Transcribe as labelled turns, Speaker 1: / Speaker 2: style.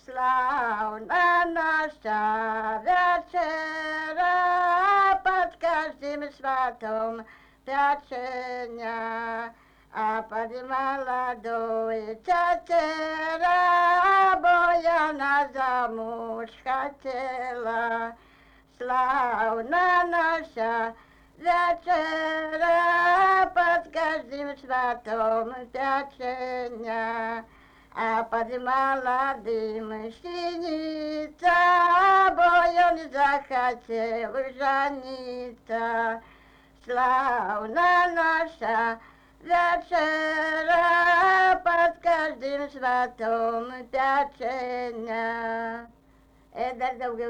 Speaker 1: Славна наша вечера, под каждым сватом печенья, а под молодой тетера, бо я на замуж хотела. Славна наша вечера, под каждым сватом печенья, а под молодым синица, бо он захотел жениться. Славна наша вечера, под каждым сватом печенья. Это долго